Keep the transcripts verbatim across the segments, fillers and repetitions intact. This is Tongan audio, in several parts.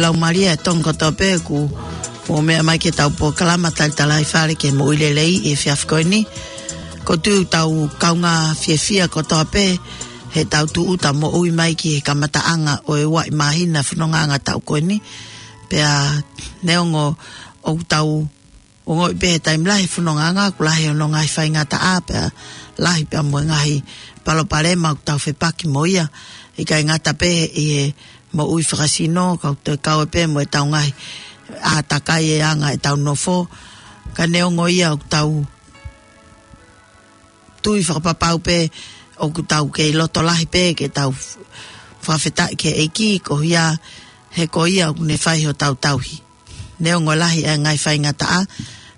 Tau malia e Tonga kotoa pē kuo mou meʻa mai ki heʻetau polokalama talitali fale ki he moʻui lelei he efiafi ko eni. Ko e tau kaungā fiefia kotoa pē heʻetau tūʻuta moʻui mai ki he kamataʻanga ʻo e ua māhina fonongaʻanga taʻu ko eni. Pea neongo ʻoku tau ongoʻi pē he taimi lahi fonongaʻanga, ʻoku lahi hono ngaahi faingataʻa pea lahi pea mo e ngaahi palopalema ʻoku tau fepaki mo ia. ʻIkai ngata pē ʻi he moʻui fakasino, ka ʻoku toe kau pē mo ʻetau ngaahi ʻātakai e anga ʻetau nofo. Ka neongo ia ʻoku tau tui fakapapau pē ʻoku tau kei loto lahi pē ke tau fakafetaʻi ki he ʻEiki, ko ia he ko ia ʻoku ne fai hotau tauhi. Neongo lahi e ngaahi faingataʻa,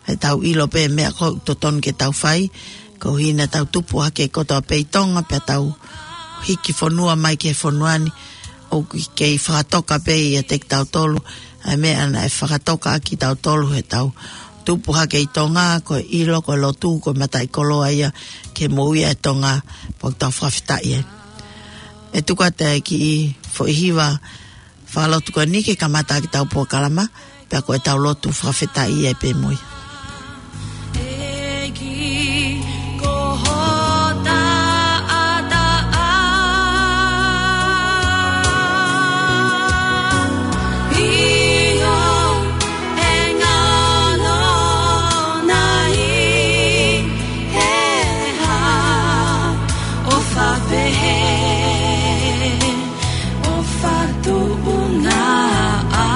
ʻe tau ʻilo pē meʻa ko ē ʻoku totonu ke tau fai, ko hina tau tupu hake kotoa pē ʻi Tonga, pea tau hiki fonua mai ki he fonua ni, ʻoku kei fakatoka pē ia kiate kitautolu, ʻa e meʻa naʻe fakatoka ʻaki kitautolu heʻetau tupu hake ʻi Tonga, ko e ʻilo, ko e lotu, ko e mataʻikoloa ia ki he moʻui ʻa e Tonga, pea ʻoku tau fakafetaʻi ai. ʻE tuku atu e kiʻi foʻi hiva fakalotu ko eni ke kamata ʻaki ʻetau polokalama, pea ko ʻetau lotu fakafetaʻi ai pē mo ia. ʻEiki, ko ho taʻataʻa, ʻio, ʻe ngalo nai he hā, ʻofa pehē, ʻofa tuʻunga ā.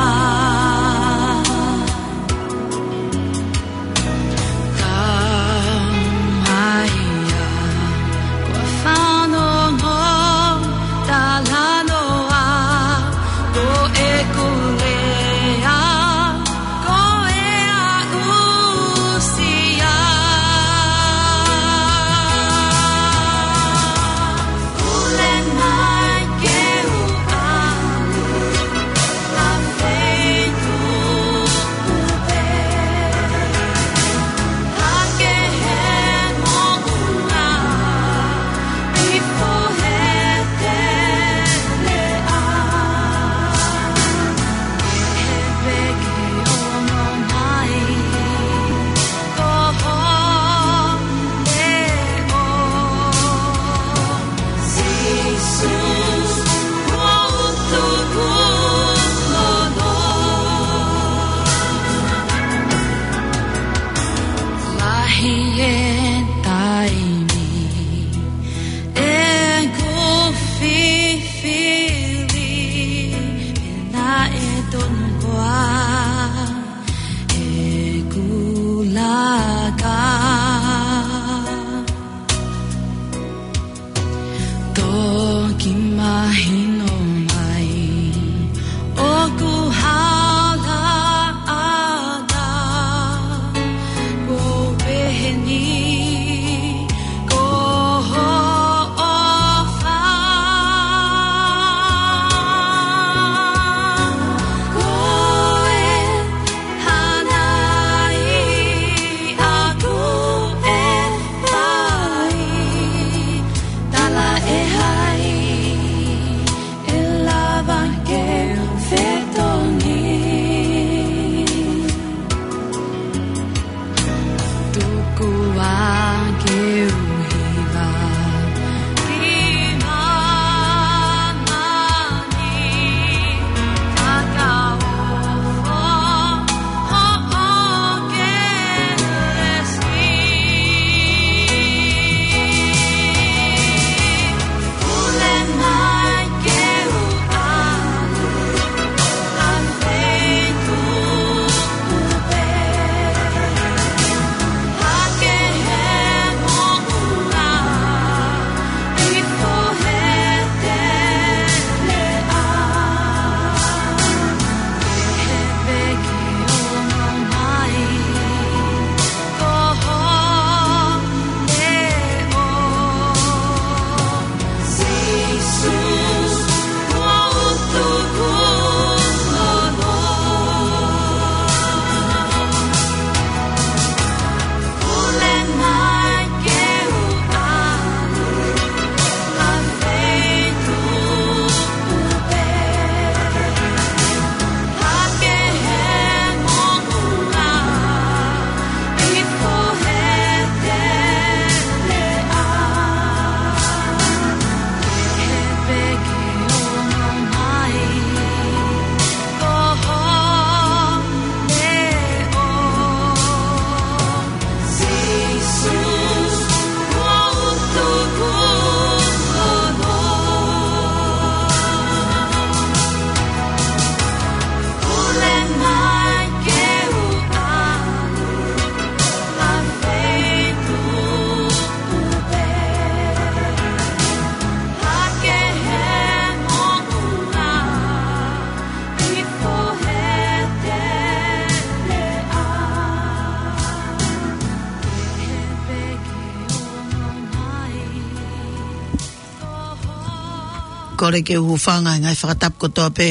Kole ke u hūfanga he ngaahi fakatapu kotoa pē,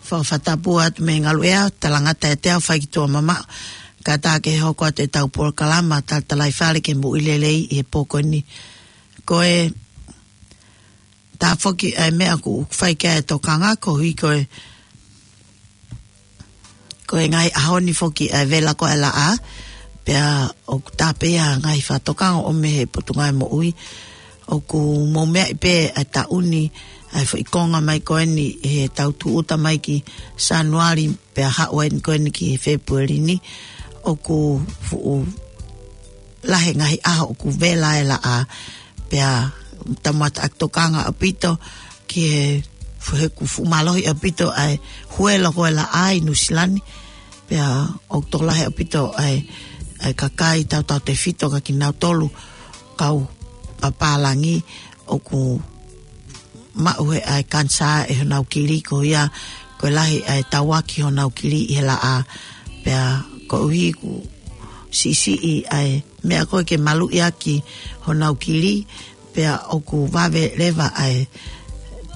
fakafatapu atu mei he ngaluʻea, talangata ʻiate au fai ki tuʻa mamaʻo. Kātaki ke hoko atu ʻetau polokalama, Talatalaifale ki he Moʻui Lelei ʻi he pō ko eni. Ko e taha foki ʻa e meʻa ʻoku fai ki ai e tokanga koeʻuhi ko e Ko e ngaahi ʻaho ni foki ʻa e vela ko ē ʻa e laʻā, pea ʻoku tāpea ngaahi fakatokanga ʻo mei he Potungāue Moʻui, ʻoku mou meaʻi pē ʻa e taʻu ni, ʻa e foʻi konga mai ko eni he tau tūʻuta mai ki Sānuali, pea haʻu eni ko eni ki Fēpueli ni, ʻoku fuʻu lahi e ngaahi ʻaho ʻoku vela e laʻā, pea tau mata ʻaki tokanga ʻaupito ki he fu-, he ʻoku fuʻu mālohi ʻaupito ʻa e huelo ko ē ʻa e laʻā ʻi Nuʻusila ni, pea ʻoku tokolahi ʻaupito ʻa e, ʻa e kakai tautautefito kia kinautolu kau pālangi ʻoku maʻu he ʻa e kanisā ʻi honau kili ko ia, ko e lahi ʻa e tauaki honau kili ʻi he laʻā, pea koeʻuhi ʻoku siʻisiʻi ʻa e meʻa ko ē ke maluʻi ʻaki honau kili, pea ʻoku vave leva ʻa e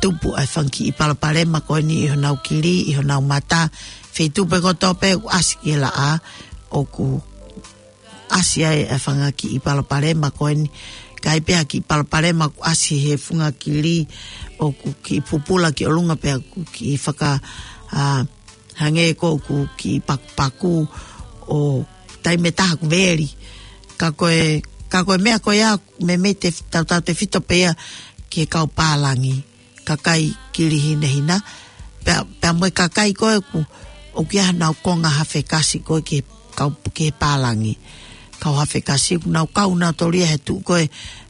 tupu ʻa e fanga kiʻi palopalema ko eni ʻi honau kili, ʻi honau mata, feituʻu pē kotoa pē ʻoku ʻasi ki he laʻā, ʻoku ʻasi ai ʻa e fanga kiʻi palopalema ko eni. Ka ʻi ai pē ha kiʻi palopalema ʻoku ʻasi he funga kili, ʻoku kiʻi pupula ki ʻolunga pea ʻoku kiʻi faka, ʻa, hangē ko ē ʻoku kiʻi pakupaku ʻo taimi ʻe taha ʻoku veli. Ka ko e, ka ko e meʻa ko ia, meimei te, tautautefito pē ia ki he kau pālangi, kakai kili hinehina, pea, pea mo e kakai ko ē ʻoku, ʻoku ʻi ai honau konga hafekasi ko ē ki he kau, ki he pālangi. Kau hafekasi ʻoku nau kau nautolu ia he tuʻu ko ē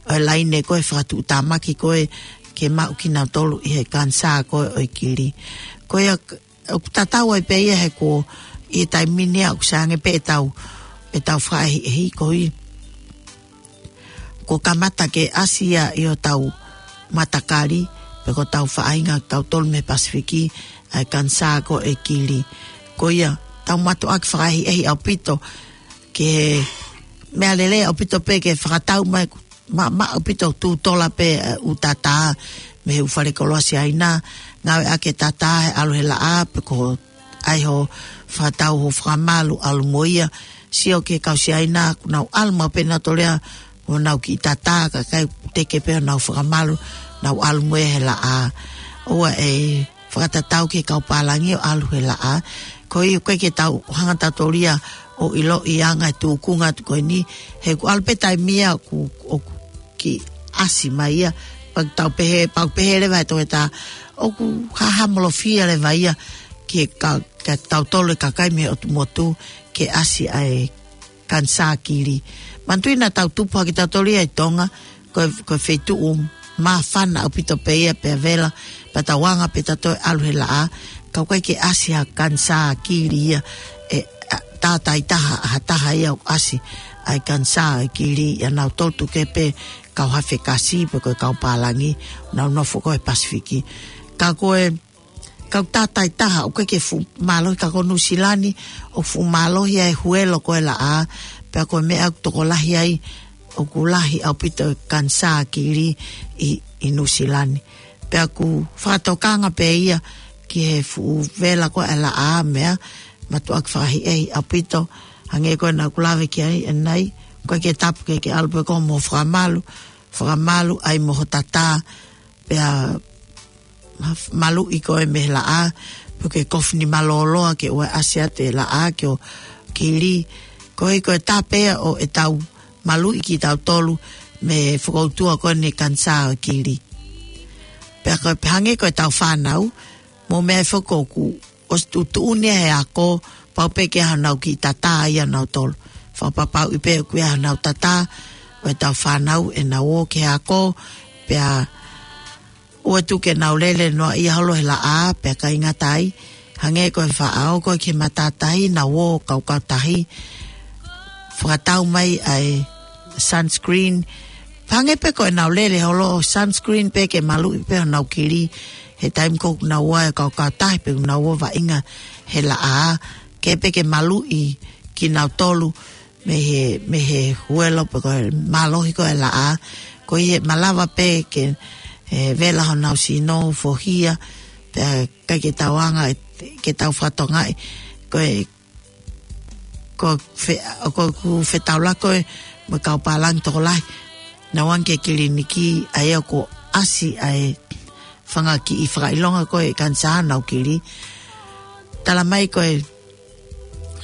ʻo e laine ko ē fakatuʻutāmaki ko ē ke maʻu kinautolu ʻi he kanisā ko ē ʻo e kili. Ko ia, ʻoku tatau ai pē ia he ko e taimi ni ʻoku sai ange pē ʻetau, ʻetau fakaʻehiʻehi koeʻuhi kuo kamata ke ʻasi ia ʻi hotau matakali, pe ko hotau faʻahinga tautolu mei he Pasifiki, ʻa e kanisā ko ē kili. Ko ia, tau mātuʻaki fakaʻehiʻehi ʻaupito ki he meʻa lelei ʻaupito pē ke fakatau mai, ma, maʻamaʻa ʻaupito tuʻu tola pē, ʻa, ʻū tatā mei he ʻū falekoloa Siaina, ngāueʻaki e tatā he ʻalu he laʻā, pe ko ʻai hoʻo fakatau hoʻo fakamalu ʻalu mo ia. Sio ki he kau Siaina, ʻoku nau ʻalu maʻu pē nautolu ia mo honau kiʻi tatā, kae ʻikai ke teke pē honau fakamalu, nau ʻalu mo ia he laʻā. ʻOua ʻe fakatatau ki he kau pālangi ʻo ʻalu he laʻā. Koeʻuhi ʻoku ʻikai ke tau hanga tautolu ia ʻo ʻiloʻi ʻa e anga e tūkunga atu ko eni, he ʻoku ʻalu pē taimi ia ʻoku, ʻoku kiʻi ʻasi mai ia, pea ʻoku tau pehē, pea ʻoku pehē leva he toketā, ʻoku hahamolofia leva ia ki he ka, kia tautolu e kakai mei he ʻotu motu ke ʻasi ʻa e kanisā kili. Manatuʻi naʻa tau tupu hake tautolu ia ʻi Tonga, ko e, ko e feituʻu māfana ʻaupito pē ia pea vela, pea tau anga pē tautolu ʻalu he laʻā, ka ʻoku ʻikai ke ʻasi ha kanisā kili ia, ʻe, ʻa, tātāitaha, ha taha ia ʻoku ʻasi ʻa e kanisā ʻo e kili ia nautolu tuku kehe pē kau hafekasi pe ko e kau pālangi, nau nofo ko ē he Pasifiki. Ka ko e, ka ʻoku tātāitaha, ʻoku ʻikai ke fuʻu mālohi ka ko Nuʻusila ni, ʻoku fuʻu mālohi ʻa e huelo ko ē ʻa e laʻā, pea ko e meʻa ʻoku tokolahi ai, ʻoku lahi ʻaupito e kanisā kili ʻi, ʻi Nuʻusila ni. Pea ʻoku fakatokanga pē ia ki he fuʻu vela ko ē ʻa e laʻā, meʻa mātuʻaki fakaʻehiʻehi ʻaupito, hangē ko ē naʻa ku lave ki ai ʻanenai, ʻoku ʻikai ke tapu ke ke ʻalu pē koe mo e fakamalu, fakamalu ai mo hoʻo tatā, pea maluʻi koe mei he laʻā, pe ko e kofu nima lōloa ke ʻoua ʻe ʻasi atu e laʻā ki hoʻo kili. Koeʻuhi ko e tāpea ʻo ʻetau maluʻi kitautolu mei he fokoutua ko eni e kanisā ʻo e kili. Pea ko e pehē ange ko ʻetau fānau, mou meaʻi foki ʻoku ʻosi tuʻutuʻuni ia he ako, pau pē ke ʻi ai honau kiʻi tatā ia ʻanautolu. Fakapapauʻi pē ʻoku ʻi ai honau tatā ʻo ʻetau fānau ʻenau ō ki he ako, pea ʻoua tuku ke nau lele noaʻia holo he laʻā, pea ʻikai ngata ai, hangē ko e faʻa ō ko ē ki he matātahi, nau ō kaukautahi, fakatau mai ʻa e sunscreen. Hangē pē ko ʻenau lele holo, sunscreen pē ke maluʻi pē honau kili he taimi ko ē ʻoku nau ō ai kaukautahi pe ʻoku nau ō vaʻinga he laʻā, ke pē ke maluʻi kinautolu mei he, mei he huelo pe ko e mālohi ko ē ʻa e laʻā. Koeʻuhi he malava pē ke, ʻe vela honau sino, fohia, pea ʻikai ke tau anga, ke tau fakatokangaʻi, ko e, ko fe-, ko ʻeku fetaulaki ko ē mo e kau pālangi tokolahi. Naʻa nau anga ki he kiliniki, ʻa ia ʻoku ʻasi ai e fanga kiʻi fakaʻilonga ko ē kanisā ʻoku nau kili. Tala mai ko e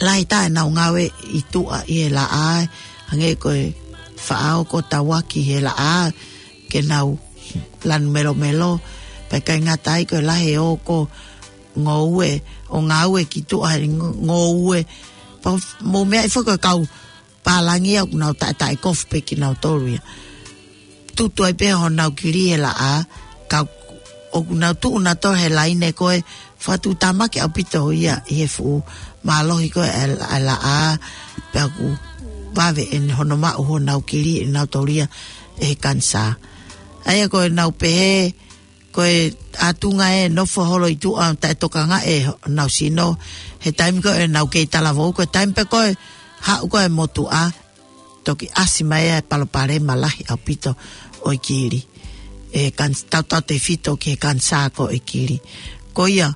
lahi taha ʻenau ngāue ʻi tuʻa ʻi he laʻā, hangē ko e faʻao ko tauaki he laʻā, ke nau lanu melomelo, pea ʻikai ngata ai ko e lahi e ō ko ngoue, ʻo ngāue ki tuʻa he ngo-, ngoue. Pea mou meaʻi foki ko e kau pālangi ia ʻoku nau taʻetaʻe kofu pē kinautolu ia. Tutu ai pē honau kili he laʻā, ka ʻoku nau tuʻu nautolu he laine ko ē, fakatuʻutāmaki ʻaupito ia ʻi he fuʻu mālohi ko ē ʻa e la-, ʻa e laʻā, pea ʻoku vave ʻene hono maʻu honau kili ʻe nautolu ia ʻe he kanisā. ʻA ia ko ʻenau pehē, ko e ʻatunga ʻe nofo holo ʻi tuʻa taʻetokangaʻi honau sino, he taimi ko ē ʻenau kei talavou, ko e taimi pē ko ē haʻu ko ē motuʻa, toki ʻasi mai e palopalema lahi ʻaupito ʻo e kili. ʻE kan-, tautautefito ki he kanisā ko ē kili. Ko ia,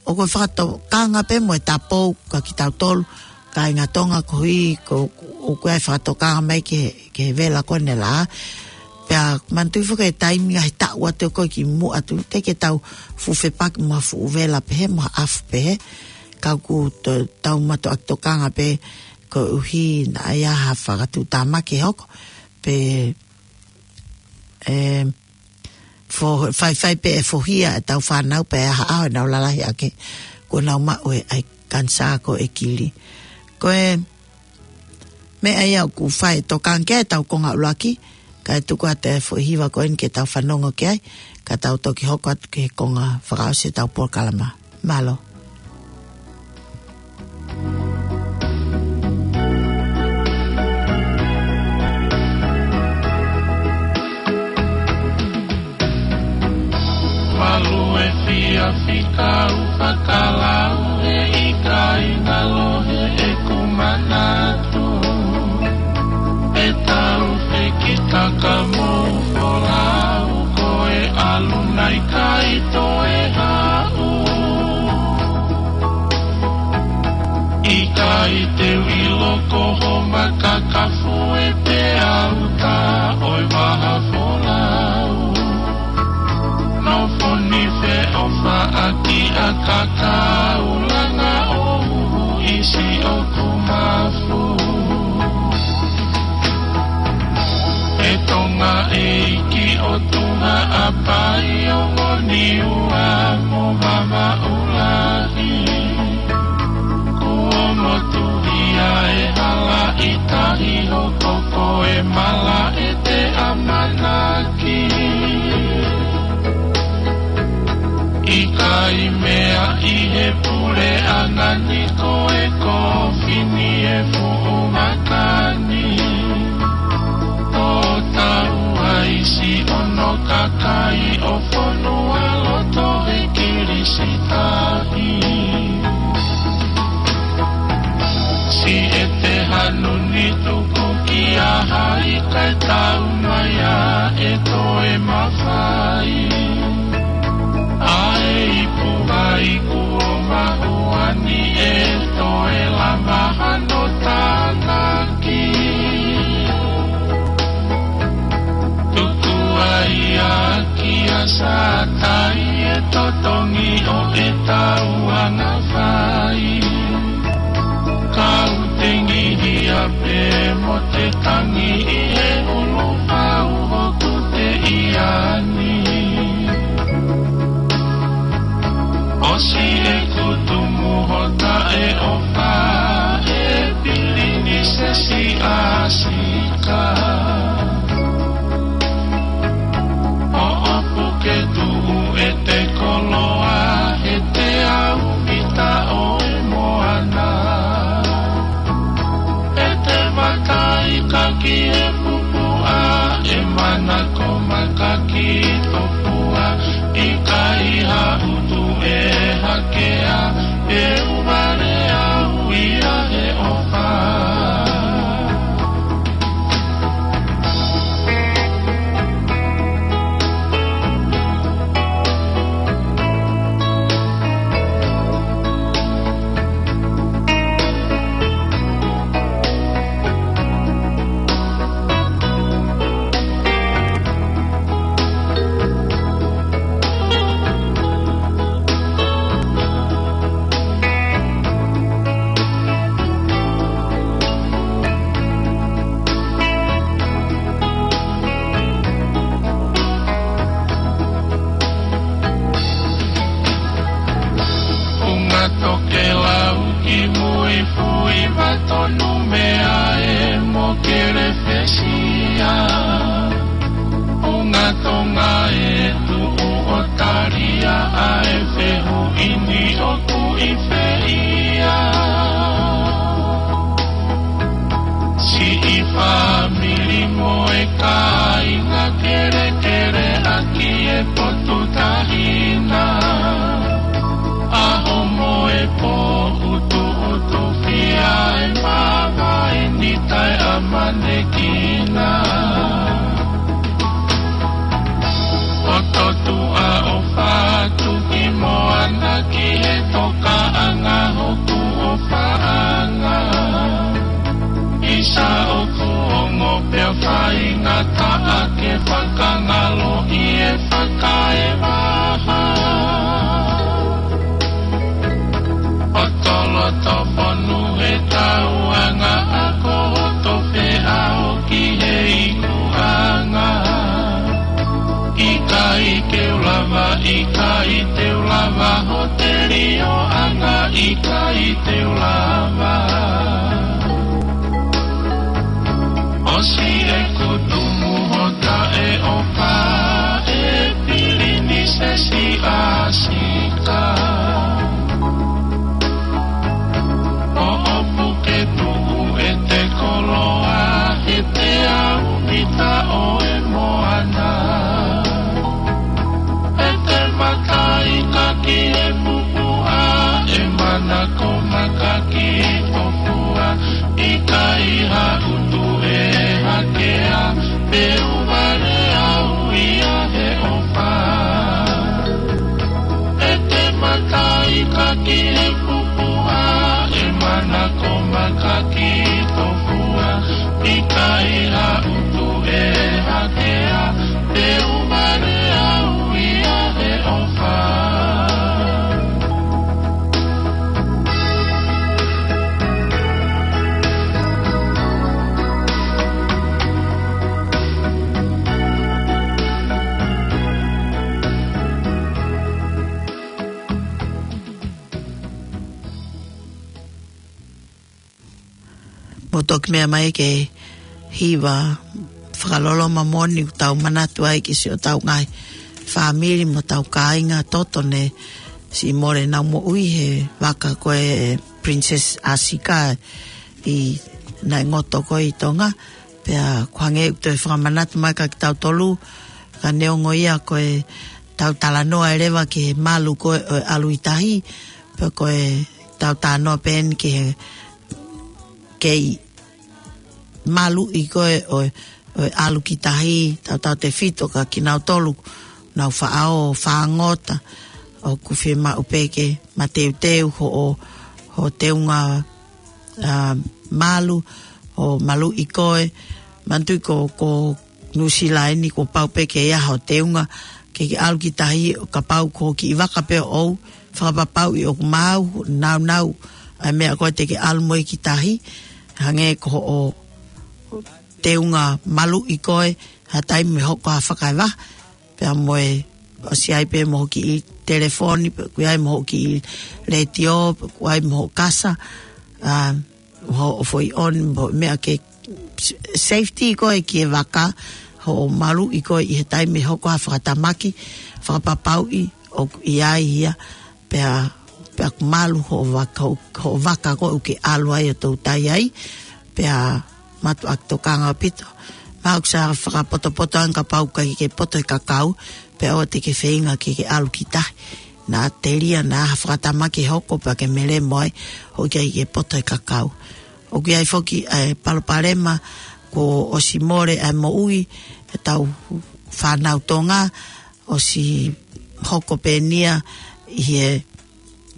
ʻoku ou fakatokanga pē mo e tapou kia kitautolu, kāinga Tonga koeʻuhi ko, ʻoku ʻi ai e fakatokanga mai ki he, ki he vela ko eni he laʻā. Pea manatuʻi foki e taimi ngaahi taʻu atu ko ē kimuʻa atu, teʻeki ke tau fuʻu fepaki mo ha fuʻu vela pehē, mo ha ʻafu pehē. Ka ʻoku to-, tau mātuʻaki tokanga pē koeʻuhi naʻa ʻi ai ha fakatuʻutāmaki ʻe hoko. Pea, ē, fo-, faifai pē ʻe fohia ʻetau fānau pea ʻi ai ha ʻaho ʻe nau lalahi ʻaki kuo nau maʻu e ʻai kanisā ko ē kili. Ko e meʻa ia ʻoku fai e tokanga ki ai ʻetau konga ʻuluaki, kae tuku atu e foʻi hiva ko eni ke tau fanongo ki ai, ka tau toki hoko atu ki he konga fakaʻosi ʻetau polokalama. Mālō. Malu e fia fika u fakalau he ʻikai ngalo he ʻeku manatu. E tau fekitaka mo folau ko e ʻalu nai kai toe haʻu. ʻIkai te u ʻilo ko ho makakafu e te au ta ʻo e vaha folau. Nofo ni feʻofaʻaki ʻa kakau langa ʻo huhu ʻi siʻoku mafu. E Tonga ʻeiki ʻo tuha ʻa pai o ngoni ua mo mama ulahi. Kuo motuhia e hala ʻi tahi hoko ko e mala e te ʻamanaki. ʻIkai meaʻi he puleʻanga ni ko e kofini e fuʻu makani. Tō tau ai si ono kakai ʻo fonua loto he kilisitahi. Si e te hanu ni tuku ki a hai kai tau mai a e toe mafai. ʻA e ipu vai kuo mahuani e toe lama hano tānaki. Tuku ai a ki a sātai e totongi ʻo e tau anga fai. Kau tengi hia pē mo te tangi ʻi he ulu pau hoku te iani. ʻOsi e kutu muho taʻeʻofa e pilinisesi ʻa Sika. ʻOʻopu ke tuʻu e te koloa he te au mita ʻo e moana. E te makai kaki e pupuʻa, e mana ko makaki topua, ʻikai ha utu e hakea, e uvale au ia he ʻofa. ʻA e fehuʻi ni ʻoku ʻi fē ia? Siʻi fāmili mo e kāinga kelekele ʻaki e potu tahi na. ʻAho mo e pō ʻutuʻutufia e māvae ni taʻeʻamanekina. ʻO totuʻa ʻo fatu ki moana ki he tokaʻanga hoku ʻofaʻanga. ʻIsa ʻoku ongo pea faingataʻa ke fakangaloʻi e fakaevaha. ʻO toloto fonu he tauʻanga ako hoto feʻao ki he ikuʻanga. ʻIkai te u lava, ʻikai te u lava, hoʻo telioʻanga ʻikai te u lava. ʻOsi ʻeku tumu ho taʻeʻofa ʻe Pilinisesi ʻAsika. ʻO ʻopu ke tuʻu ʻete koloa he teau mita ʻo e moana. ʻEte mataika ki he pupuʻa, ʻe manako maka ki ho fua, ʻikai ha utu ʻe hakea, pe u vale au ia he ʻofa. ʻEte mataika ki he pupuʻa, ʻe manako maka ki ho fua, ʻikai ha utu ʻe hakea, pe u vale au ia he ʻofa. Mou toki meʻa mai ki he hiva fakaloloma moʻoni ʻoku tau manatu ai ki siʻotau ngaahi fāmili mo hotau kāinga toto ne siʻi mole ʻenau moʻui he vaka ko e Princess ʻAsika ʻi, naʻe ngoto ko ē ʻi Tonga. Pea ʻoku hangē ʻoku toe fakamanatu mai kia kitautolu, ka neongo ia ko ʻetau talanoa ʻe leva ki he malu ko ē ʻo e ʻalu ʻi tahi, pea ko ʻetau talanoa pē eni ki he kei maluʻi ko ē ʻo e, ʻo e ʻalu ki tahi, tautautefito kia kinautolu ʻoku nau faʻao, fāngota, ʻoku fiemaʻu pē ke mateuteu hoʻo, hoʻo teunga, ā, malu, hoʻo maluʻi koe. Manatuʻi ko, ko Nuʻusila eni kuo pau pē ke ʻi ai hoʻo teunga ke ke ʻalu ki tahi, kapau ko e kiʻi vaka pē ʻoʻou, fakapapauʻi ʻoku maau, nāunau ʻa e meʻa ko ē te ke ʻalu mo ia ki tahi, hangē ko hoʻo teunga maluʻi koe, ha taimi ʻe hoko ha fakaevaha, pea mo e ʻosi ʻi ai pē mo hoʻo kiʻi telefoni, pe ʻoku ʻi ai mo hoʻo kiʻi letiō, pe ʻoku ʻi ai mo hoʻo kasa, ā, hoʻo foʻi ʻoni, mo e meʻa ke safety ko ē ki he vaka, hoʻo maluʻi koe ʻi he taimi ʻe hoko ha fakatamaki, fakapapauʻi ʻoku ʻi ai ia, pea, pea ʻoku malu hoʻo vaka, hoʻo, hoʻo vaka ko ē ʻoku ke ʻalu ai ʻo toutai ai, pea mātuʻaki tokanga ʻaupito. Mahalo ʻoku sai fakapotopoto ange kapau ʻoku ʻikai ke poto he kakau, pea ʻoua te ke feinga ke ke ʻalu ki tahi. Naʻa telia, naʻa ha fakatamaki ʻe hoko pea ke melemo ai, ʻo ʻikai ke poto he kakau. ʻOku ʻi ai foki ʻa e palopalema kuo ʻosi mole ʻa e moʻui ʻetau fānau Tonga, ʻosi hoko pē eni ia ʻi he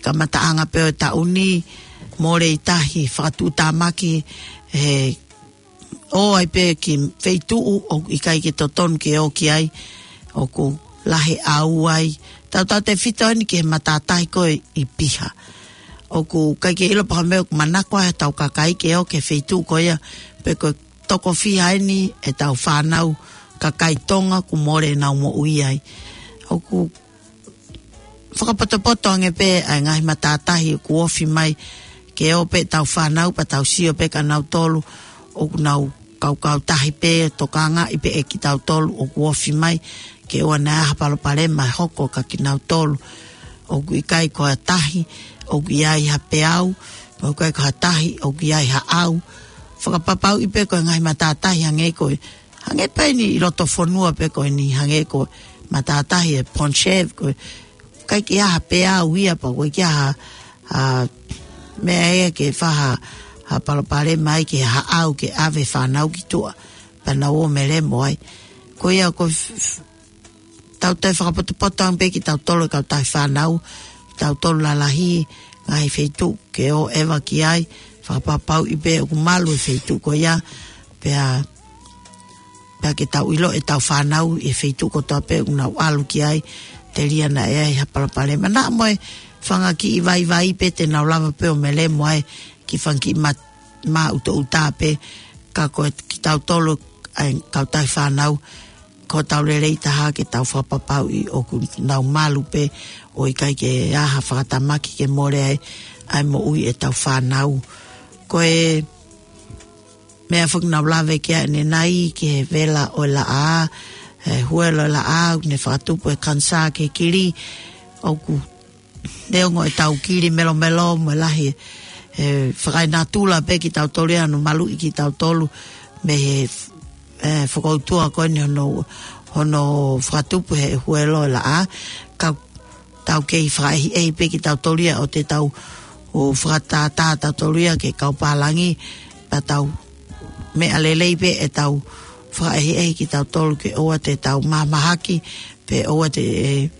kamataʻanga pē ʻo e taʻu ni, mole ʻi tahi, fakatuʻutāmaki he ō ai pē ki feituʻu ʻoku ʻikai ke totonu ke ō ki ai, ʻoku lahi ʻaʻau ai. Tautautefito eni ki he matātahi ko ē ʻi Piha. ʻOku ʻikai ke ʻilo pe ko e hā e meʻa ʻoku manako ai hotau kakai ke ō ki he feituʻu ko ia, pe ko e toko fiha eni ʻetau fānau kakai Tonga kuo mole ʻenau moʻui ai. ʻOku fakapotopoto ange pē ʻa e ngaahi matātahi ʻoku ofi mai ke ō pē ʻetau fānau pea tau sio pē kia nautolu ʻoku nau kaukau tahi pē, tokangaʻi pē ʻe kitautolu ʻoku ofi mai, ke ʻoua naʻa ʻi ai ha palopalema ʻe hoko kia kinautolu. ʻOku ʻikai ko ha tahi ʻoku ʻi ai ha peau, ʻoku ʻikai ko ha tahi ʻoku ʻi ai ha ʻau. Fakapapauʻi pē ko e ngaahi matātahi hangē ko e, hangē pē eni ʻi loto fonua pē ko eni, hangē ko e matātahi ʻe Pohnpei, ko e ʻikai ke ʻi ai ha peau ia pea ʻoku ʻikai ke ʻi ai ha, ha meʻa ia ke fai ha, ha palopalema ai ke ha ʻau ke ʻave fānau ki tuʻa, pea nau ō melemo ai. Ko ia ko f-, f-, tau toe fakapotopoto ange pē kitautolu e kautaha fānau, tautolu lalahi, ngaahi feituʻu ke ō ʻeva ki ai, fakapapauʻi pē ʻoku malu e feituʻu ko ia, pea, pea ke tau ʻilo ʻetau fānau ʻi he feituʻu kotoa pē ʻoku nau ʻalu ki ai, telia naʻe ʻi ai ha palopalema. Naʻa mo e fanga kiʻi vaivai pē te nau lava pē ʻo melemo ai ki he fanga kiʻi mā-, māʻutoʻuta pē, ka ko kitautolu ʻa e kautaha fānau, ko hotau lelei taha ke tau fakapapauʻi ʻoku nau malu pē ʻo ʻikai ke ʻi ai ha fakatamaki ke mole ai, ʻa e moʻui ʻetau fānau. Ko e meʻa foki naʻa ku lave ki ai ʻanenai ki he vela ʻo e laʻā, e huelo ʻo e laʻā, ʻoku ne fakatupu e kanisā ki he kili, ʻoku neongo ʻetau kili melomelo mo e lahi, e, fakaenatula pē kitautolu ia ʻa hono maluʻi kitautolu mei he, e, fokoutua ko eni hono, hono fakatupu he huelo ʻo e laʻā, ka tau kei fakaʻehiʻehi pē kitautolu ia ʻo te tau ō fakatātā tautolu ia ki he kau pālangi, pea tau meʻa lelei pē ʻetau fakaʻehiʻehi kitautolu ke ʻoua te tau mahamahaki, pe ʻoua te, e,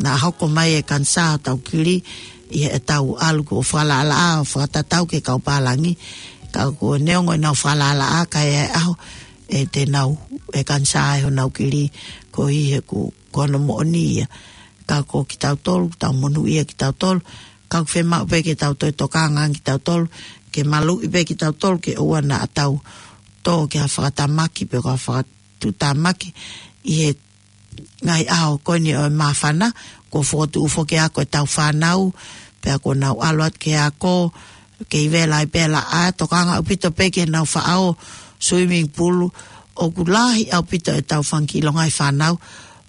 naʻa hoko mai e kanisā hotau kili ʻi heʻetau ʻalu ko e fakalaʻalaʻā ʻo fakatatau ki he kau pālangi. Ka ko e neongo ʻenau fakalaʻalaʻā ka ʻi he ʻaho ʻe te nau, e kanisā ʻe honau kili koeʻuhi he ko, ko hono moʻoni ia. Ka ko kitautolu, tau monūʻia kitautolu, ka ʻoku fiemaʻu pē ke tau toe tokanga ange kitautolu, ke maluʻi pē kitautolu, ke ʻoua naʻa tau tō ki ha fakatamaki pe ko ha fakatuʻutāmaki ʻi he ngaahi ʻaho ko eni ʻo e māfana, kuo fokotuʻu foki e ako ʻetau fānau, pea kuo nau ʻalu atu ki he ako, kei vela ai pē laʻā, tokanga ʻaupito pē ki heʻenau faʻao swimming pool, ʻoku lahi ʻaupito ʻetau fanga kiʻi longaʻi fānau,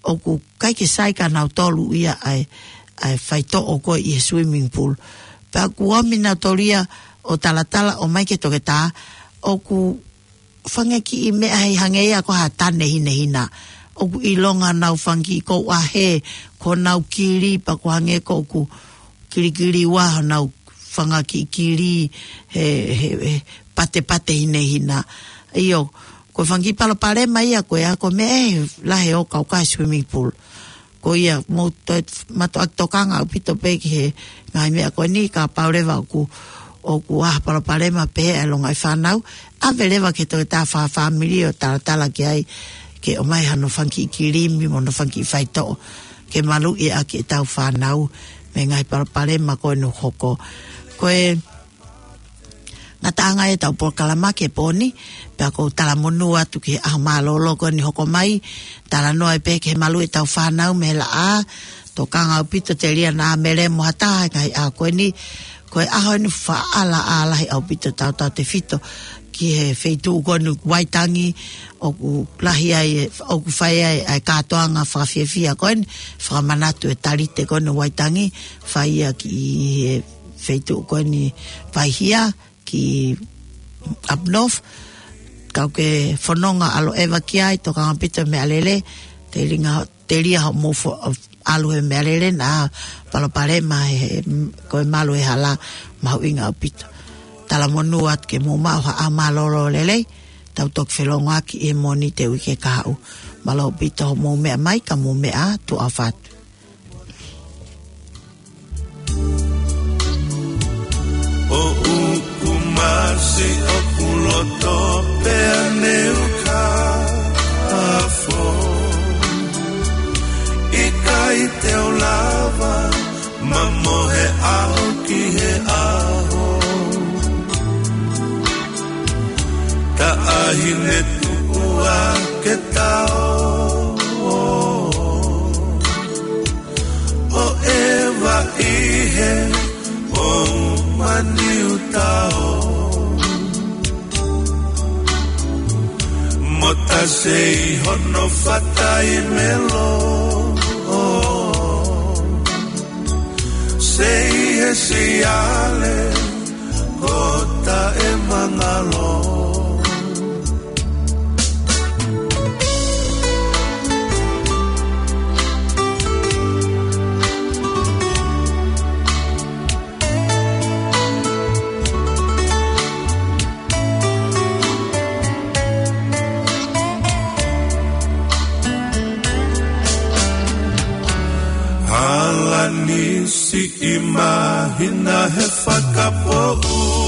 ʻoku ʻikai ke sai kia nautolu ia ʻa e, ʻa e faitoʻo ko ē ʻi he swimming pool. Pea ʻoku ʻomi nautolu ia ʻo talatala ʻo ʻomai ki he toketā, ʻoku fanga kiʻi meʻa hei hangē ia ko ha tane hinehina. ʻOku ʻilonga honau fanga kiʻi kouʻahe, ko honau kili pea ʻoku hangē ko ʻoku kilikili ua honau fanga kiʻi kili he, he, he patepate hinehina. ʻIo, ko e fanga kiʻi palopalema ia ko ē ʻa e ako meʻa ʻe lahi ʻo kaukaʻi swimming pool. Ko ia mou toe mātuʻaki tokanga ʻaupito pē ki he ngaahi meʻa ko eni, kapau leva ʻoku, ʻoku ʻi ai ha palopalema pē ʻa e longaʻi fānau, ʻave leva ki he toketā fakafāmili ʻo talatala ki ai ke ʻomai hano fanga kiʻi kilimi mo hono fanga kiʻi faitoʻo ke maluʻi ʻaki ʻetau fānau mei he ngaahi palopalema ko eni ʻoku hoko. Ko e ngataʻanga ia ʻetau polokalama ki he pō ni, pea ʻoku ou talamonū atu ki he ʻaho mālōlō ko eni hoko mai, talanoa ai pē ki he maluʻi ʻetau fānau mei he laʻā, tokanga ʻaupito telia naʻa melemo ha taha he ngaahi ʻaho ko eni, ko e ʻaho eni faʻa laʻā lahi ʻaupito tautautefito ki he feituʻu ko eni Waitangi, ʻoku lahi ai, ʻoku fai ai ʻa e kātoanga fakafiefia ko eni, fakamanatu e talite ko eni Waitangi, fai ia ki he feituʻu ko eni Vaihia, ki up north, kau ke fononga ʻalu ʻeva ki ai, tokanga ʻaupito meʻalele, telia, telia hoʻomou fo-, ʻalu he meʻalele naʻa palopalema he, he, ko e malu e hala mahuʻinga ʻaupito. Talamonū atu ke mou maʻu ha ʻaho mālōlō lelei, tau toki felōngoaki he Mōnite uike kahaʻu. Mālō ʻaupito hoʻomou meʻa mai, ka mou meʻa ā, tuʻa ʻofa atu. ʻO uku masi ʻoku loto pea neu ka afo. ʻIkai te u lava, ma mohe ʻaho ki he ʻaho. Taʻahine tuʻu ake tau. ʻO ʻeva ʻi he ʻo maniutao. Sei hono fatai melo, sei he siale ko taʻe mangalo. Hala nisi i mahina he fakapōʻuli.